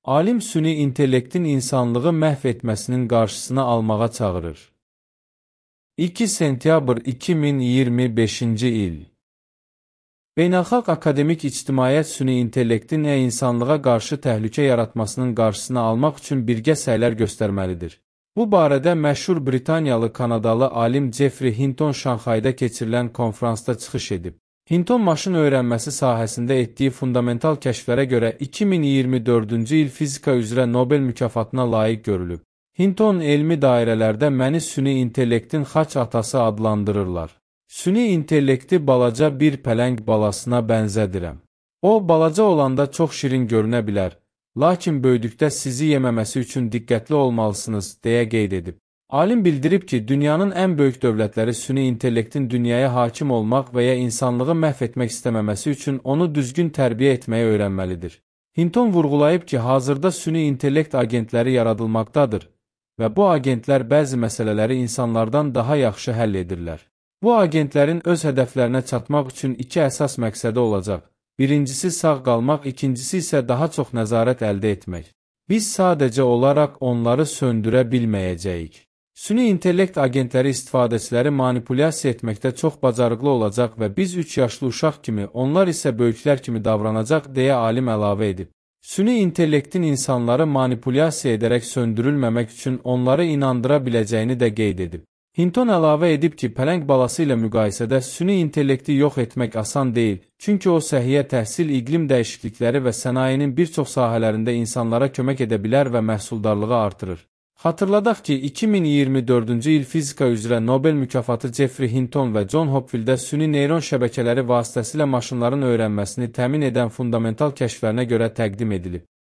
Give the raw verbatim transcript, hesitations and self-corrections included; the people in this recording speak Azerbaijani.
Alim süni intellektin insanlığı məhv etməsinin qarşısını almağa çağırır. iki sentyabr iki min iyirmi beşinci il. Beynəlxalq akademik ictimaiyyət süni intellektin ə insanlığa qarşı təhlükə yaratmasının qarşısını almaq üçün birgə səylər göstərməlidir. Bu barədə məşhur Britaniyalı Kanadalı alim Jeffrey Hinton Şanxayda keçirilən konferansda çıxış edib. Hinton maşın öyrənməsi sahəsində etdiyi fundamental kəşflərə görə iki min iyirmi dördüncü il fizika üzrə Nobel mükafatına layiq görülüb. Hinton elmi dairələrdə məni süni intellektin xaç atası adlandırırlar. Süni intellekti balaca bir pələng balasına bənzədirəm. O, balaca olanda çox şirin görünə bilər, lakin böyüdükdə sizi yeməməsi üçün diqqətli olmalısınız, deyə qeyd edib. Alim bildirib ki, dünyanın ən böyük dövlətləri süni intellektin dünyaya hakim olmaq və ya insanlığı məhv etmək istəməməsi üçün onu düzgün tərbiyə etməyi öyrənməlidir. Hinton vurğulayıb ki, hazırda süni intellekt agentləri yaradılmaqdadır və bu agentlər bəzi məsələləri insanlardan daha yaxşı həll edirlər. Bu agentlərin öz hədəflərinə çatmaq üçün iki əsas məqsədi olacaq. Birincisi sağ qalmaq, ikincisi isə daha çox nəzarət əldə etmək. Biz sadəcə olaraq onları söndürə bilməyəcəyik. Süni intellekt agentləri istifadəçiləri manipulyasiya etməkdə çox bacarıqlı olacaq və biz üç yaşlı uşaq kimi, onlar isə böyüklər kimi davranacaq, deyə alim əlavə edib. Süni intellektin insanları manipulyasiya edərək söndürülməmək üçün onları inandıra biləcəyini də qeyd edib. Hinton əlavə edib ki, pələng balası ilə müqayisədə süni intellekti yox etmək asan deyil, çünki o səhiyyə təhsil, iqlim dəyişiklikləri və sənayenin bir çox sahələrində insanlara kömək edə bilər və məhsuldarlığı artırır. Xatırladaq ki, iki min iyirmi dördüncü il fizika üzrə Nobel mükafatı Jeffrey Hinton və John Hopkins süni neyron şəbəkələri vasitəsilə maşınların öyrənməsini təmin edən fundamental kəşflərinə görə təqdim edilib.